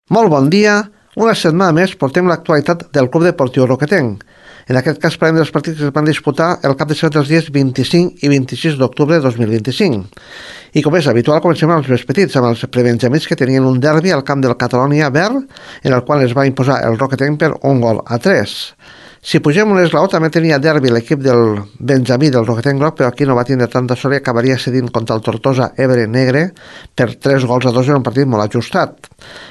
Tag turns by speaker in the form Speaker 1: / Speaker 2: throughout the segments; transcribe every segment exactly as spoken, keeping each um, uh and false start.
Speaker 1: Molt bon dia. Una setmana més portem l'actualitat del Club Deportiu Roquetenc. En aquest cas parlem dels partits que es van disputar el cap de setmana dels dies vint-i-cinc i vint-i-sis d'octubre de dos mil vint-i-cinc. I com és habitual, comencem amb els més petits, amb els prebenjamins que tenien un derbi al camp del Catalonia Verd, en el qual es va imposar el Roquetenc per un gol a tres. Si pugem un esglaó, també tenia derbi l'equip del Benjamí del Roquetenc Groc, però aquí no va tindre tanta sort i acabaria cedint contra el Tortosa Ebre Negre per tres gols a dos en un partit molt ajustat.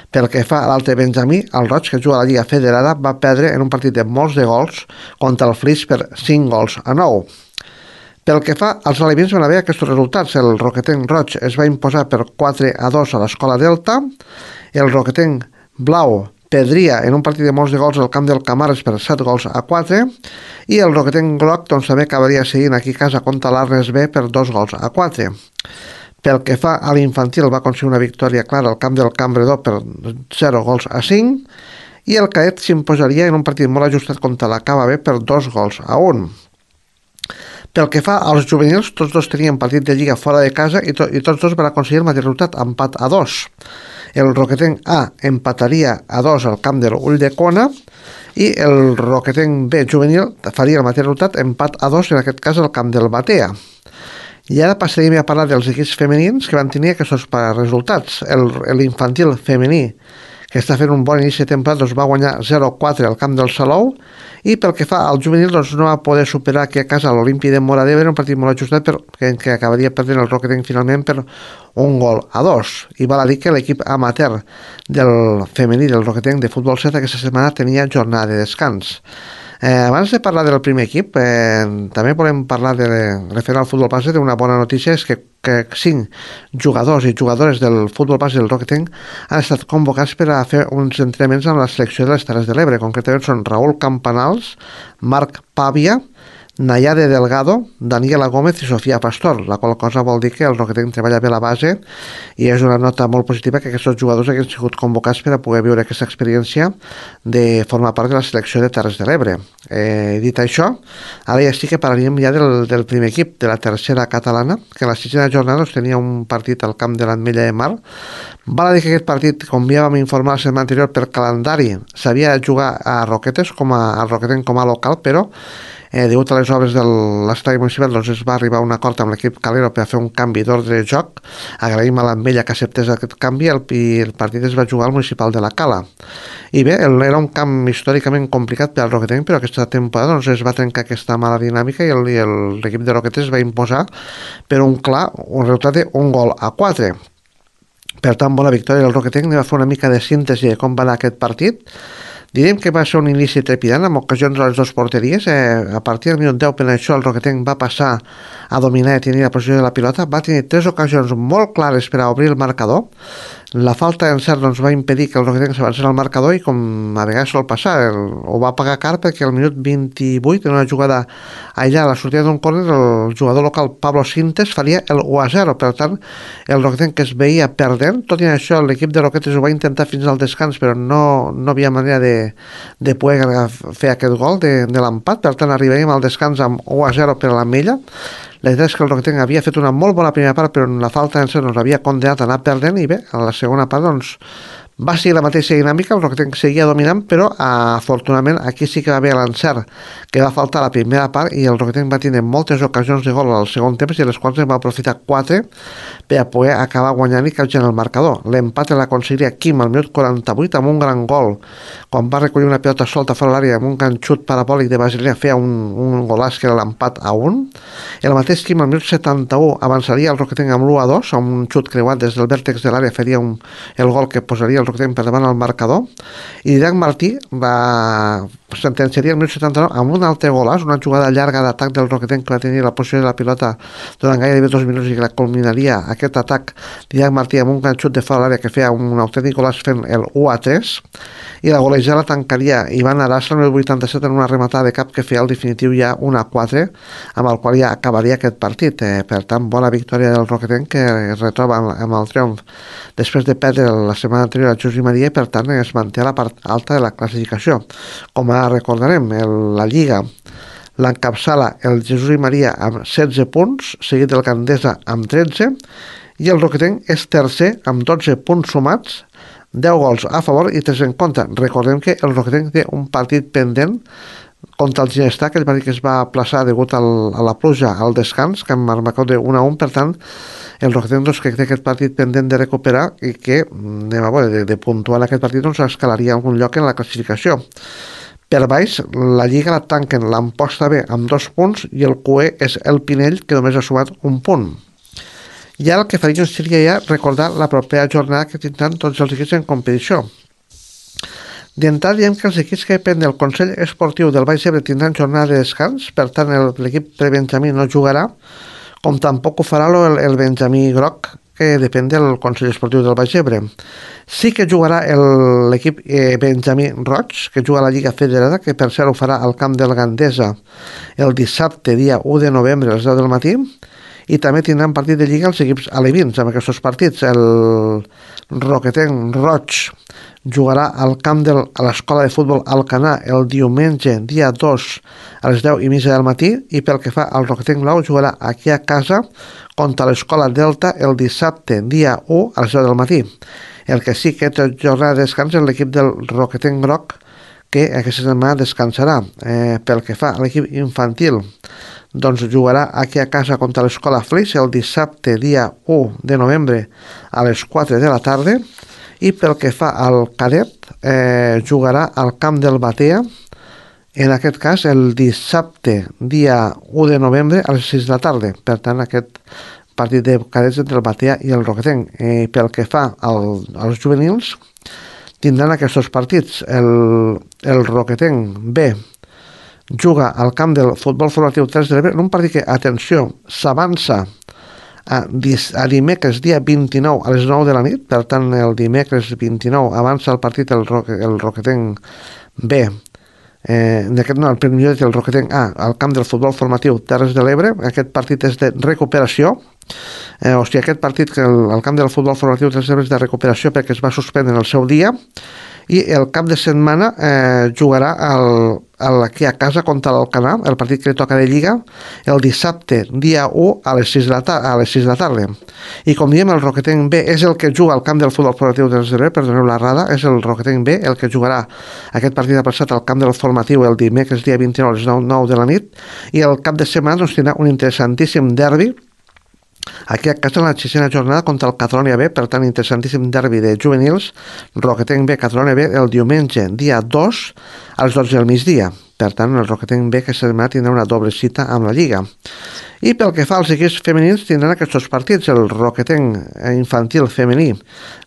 Speaker 1: Pel que fa a l'altre Benjamí, el Roig, que juga a la Lliga Federada, va perdre en un partit de molts de gols contra el Flix per cinc gols a nou. Pel que fa als alevins van haver aquests resultats. El Roquetenc Roig es va imposar per quatre a dos a l'Escola Delta, el Roquetenc Blau perdria en un partit de molts de gols al camp del Camares per set gols a quatre i el Roquetenc Groc doncs, també acabaria seguint aquí a casa contra l'Arnes B per dos gols a quatre. Pel que fa a l'infantil va aconseguir una victòria clara al camp del Cambredor per zero gols a cinc i el Caet s'imposaria en un partit molt ajustat contra la Cava B per dos gols a un. Pel que fa als juvenils, tots dos tenien partit de lliga fora de casa i, to i tots dos van aconseguir el mateix resultat, empat a dos. El Roquetenc A empataria a dos al camp de l'Ull de Cona i el Roquetenc B juvenil faria el mateix resultat, empat a dos, en aquest cas al camp del Batea. I ara passaríem a parlar dels equips femenins que van tenir aquests resultats. L'infantil femení, que està fent un bon inici de temporada, doncs va guanyar zero a quatre al camp del Salou, i pel que fa al juvenil doncs no va poder superar aquí a casa l'Olímpia de Móra d'Ebre, un partit molt ajustat però que, que acabaria perdent el Roquetenc finalment per un gol a dos. I val a dir que l'equip amateur del femení del Roquetenc de futbol set aquesta setmana tenia jornada de descans. Eh, abans de parlar del primer equip, eh, també volem parlar de, referent al futbol base, d'una bona notícia, és que, que cinc jugadors i jugadores del futbol base del Roquetenc han estat convocats per a fer uns entrenaments amb la selecció de les Terres de l'Ebre. Concretament són Raúl Campanals, Marc Pàvia, Nayade Delgado, Daniela Gómez i Sofia Pastor, la qual cosa vol dir que el Roquetenc treballa bé la base i és una nota molt positiva que aquests jugadors hagin sigut convocats per a poder viure aquesta experiència de formar part de la selecció de Terres de l'Ebre. Eh, dit això, ara ja sí que parlaríem ja del, del primer equip, de la tercera catalana, que en la sisena jornada doncs, tenia un partit al camp de l'Ametlla de Mar. Val a dir que aquest partit, com ja vam informar la setmana anterior, per calendari s'havia de jugar a Roquetes, com a, a Roquetenc com a local, però Eh, degut a les obres de l'estadi municipal doncs es va arribar a un acord amb l'equip Calero per a fer un canvi d'ordre de joc. Agraïm a l'Ametlla que acceptés aquest canvi el, i el partit es va jugar al municipal de la Cala. I bé, el, era un camp històricament complicat per al Roquetenc, però aquesta temporada doncs, es va trencar aquesta mala dinàmica i l'equip de Roquetes es va imposar per un clar un resultat d'un gol a quatre. Per tant, bona victòria del Roquetenc. Anem a fer una mica de síntesi de com va anar aquest partit. Direm que va ser un inici trepidant amb ocasions a les dues porteries. Eh, a partir del minut deu per això el Roquetenc va passar a dominar i tenir la posició de la pilota. Va tenir tres ocasions molt clares per a obrir el marcador. La falta d'encert doncs, va impedir que el Roquetenc s'avancés al marcador i com a vegades sol passar, el, ho va pagar car perquè al minut vint-i-vuit en una jugada allà a la sortida d'un córner el jugador local Pablo Sintes faria el u a zero. Per tant, el Roquetenc que es veia perdent, tot i això l'equip de Roquetes ho va intentar fins al descans però no, no havia manera de, de poder fer aquest gol de, de l'empat. Per tant, arribaríem al descans amb u a zero per a l'Ametlla. La veritat és que el Roquetenc havia fet una molt bona primera part, però en la falta d'encert nos havia condenat a anar perdent i bé, a la segona part doncs, va ser la mateixa dinàmica, el Roquetenc seguia dominant, però afortunadament aquí sí que va haver l'encert que va faltar a la primera part i el Roquetenc va tenir moltes ocasions de gol al segon temps i les quals en va aprofitar quatre per a poder acabar guanyant i capgirant el marcador. L'empat l'aconseguiria Quim al minut quaranta-vuit amb un gran gol quan va recollir una pilota solta fora l'àrea amb un gran xut parabòlic de Basilea, feia un, un golàs que era l'empat a un. El mateix Quim al minut setanta-u avançaria el Roquetenc amb l'u a dos, amb un xut creuat des del vèrtex de l'àrea faria un, el gol que posaria el Roquetenc per davant al marcador, i Didac Martí va sentenciaria el minut setanta-nou amb un altre golàs, una jugada llarga d'atac del Roquetenc que va tenir la posició de la pilota durant gairebé dos minuts i que la culminaria aquest atac Didac Martí amb un gran xut de fora de l'àrea que feia un autèntic golàs fent el u a tres, i la golejada la tancaria Ivan Arasa el minut vuitanta-set en una rematada de cap que feia el definitiu ja un a quatre, amb el qual ja acabaria aquest partit. Eh, per tant, bona victòria del Roquetenc que es retroba amb el triomf després de perdre la setmana anterior a Jesús i Maria i per tant es manté a la part alta de la classificació. Com ara recordarem, el, la Lliga l'encapçala el Jesús i Maria amb setze punts, seguit del Gandesa amb tretze, i el Roquetenc és tercer amb dotze punts sumats deu gols a favor i tres en contra. Recordem que el Roquetenc té un partit pendent contra el Ginestar, aquell partit que es va aplaçar degut al, a la pluja al descans, que amb marcador de un a un, per tant, el Roquetenc doncs, que té aquest partit pendent de recuperar i que, anem a veure, de, de puntuar en aquest partit doncs escalaria algun lloc en la classificació. Per baix, la Lliga la tanquen l'Amposta B amb dos punts i el Q E és el Pinell, que només ha sumat un punt. I ara el que faria seria ja recordar la propera jornada que tindran tots els equips en competició. D'entrada diem que els equips que depèn del Consell Esportiu del Baix Ebre tindran jornada de descans, per tant l'equip prebenjamí no jugarà, com tampoc ho farà el, el Benjamí Groc, que depèn del Consell Esportiu del Baix Ebre. Sí que jugarà l'equip eh, Benjamí Roig, que juga a la Lliga Federada, que per cert ho farà al camp del Gandesa el dissabte, dia u de novembre, a les deu del matí, i també tindran partit de Lliga els equips alevins amb aquests partits. El Roquetenc Roig jugarà al camp de l'Escola de Futbol Alcanar el diumenge, dia dos, a les deu i mitja del matí, i pel que fa al Roquetenc Blau jugarà aquí a casa contra l'Escola Delta el dissabte, dia u, a les deu del matí. El que sí que té jornada de descans és l'equip del Roquetenc Groc, que aquesta setmana descansarà. Eh, pel que fa a l'equip infantil, doncs jugarà aquí a casa contra l'Escola Flix el dissabte, dia u de novembre, a les quatre de la tarda, i pel que fa al cadet, eh, jugarà al camp del Batea, en aquest cas el dissabte, dia u de novembre, a les sis de la tarda. Per tant, aquest partit de cadets entre el Batea i el Roquetenc. Eh, pel que fa al, als juvenils, tindran aquests dos partits. El, el Roquetenc B juga al camp del Futbol Formatiu tres de l'Ebre en un partit que, atenció, s'avança a, a dimecres dia vint-i-nou a les nou de la nit. Per tant, el dimecres vint-i-nou avança el partit el, Roque, el Roquetenc B, eh, d'aquest no, el primer del Roquetenc A, al camp del Futbol Formatiu Terres de l'Ebre. Aquest partit és de recuperació, eh, o sigui, aquest partit que el, el camp del Futbol Formatiu Terres de l'Ebre és de recuperació perquè es va suspendre en el seu dia, i el cap de setmana eh, jugarà el, el, aquí a casa contra l'Alcanar, el partit que li toca de Lliga, el dissabte, dia u, a les sis de la, a les sis de la tarda. I com diem, el Roquetenc B és el que juga al camp del Futbol Formatiu de l'Ebre, perdoneu l'errada, és el Roquetenc B el que jugarà aquest partit aplaçat al camp del formatiu el dimecres, dia vint-i-nou, a les nou de la nit, i el cap de setmana doncs, tindrà un interessantíssim derbi aquí a casa en la sisena jornada contra el Catalonia B. Per tant, interessantíssim derbi de juvenils, Roquetenc B, Catalonia B, el diumenge, dia dos, a les dotze del migdia. Per tant, el Roquetenc B que aquesta setmana tindrà una doble cita amb la Lliga. I pel que fa als equips femenins, tindran aquests dos partits. El Roquetenc infantil femení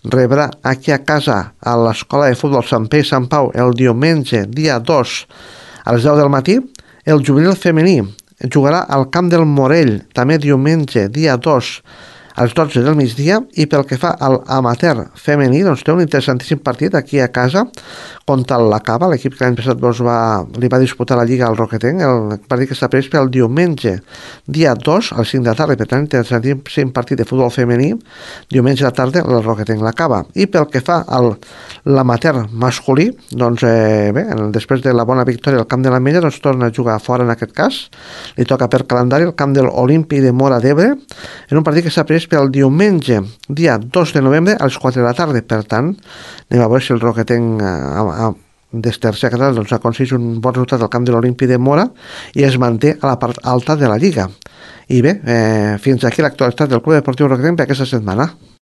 Speaker 1: rebrà aquí a casa a l'Escola de Futbol Sant Pere i Sant Pau el diumenge, dia dos, a les deu del matí. El juvenil femení jugarà al camp del Morell, també diumenge, dia dos, a les dotze del migdia. I pel que fa al amateur femení, doncs té un interessantíssim partit aquí a casa contra la Cava, l'equip que l'any passat doncs, va, li va disputar la Lliga al Roquetenc. El partit que està previst pel diumenge, dia dos, a les cinc de la tarda. Per tant, interessantíssim partit de futbol femení, diumenge a la tarda, el Roquetenc la Cava. I pel que fa al l'amateur masculí, doncs eh, bé, després de la bona victòria al camp de l'Ametlla, doncs torna a jugar fora en aquest cas. Li toca per calendari el camp de l'Olímpic de Móra d'Ebre, en un partit que està previst pel diumenge, dia dos de novembre, a les quatre de la tarda. Per tant, anem a veure si el Roquetenc a, a, des tercera catalana doncs, aconsegueix un bon resultat al camp de l'Olímpic de Móra i es manté a la part alta de la Lliga. I bé, eh, fins aquí l'actualitat del Club Deportiu Roquetenc per aquesta setmana.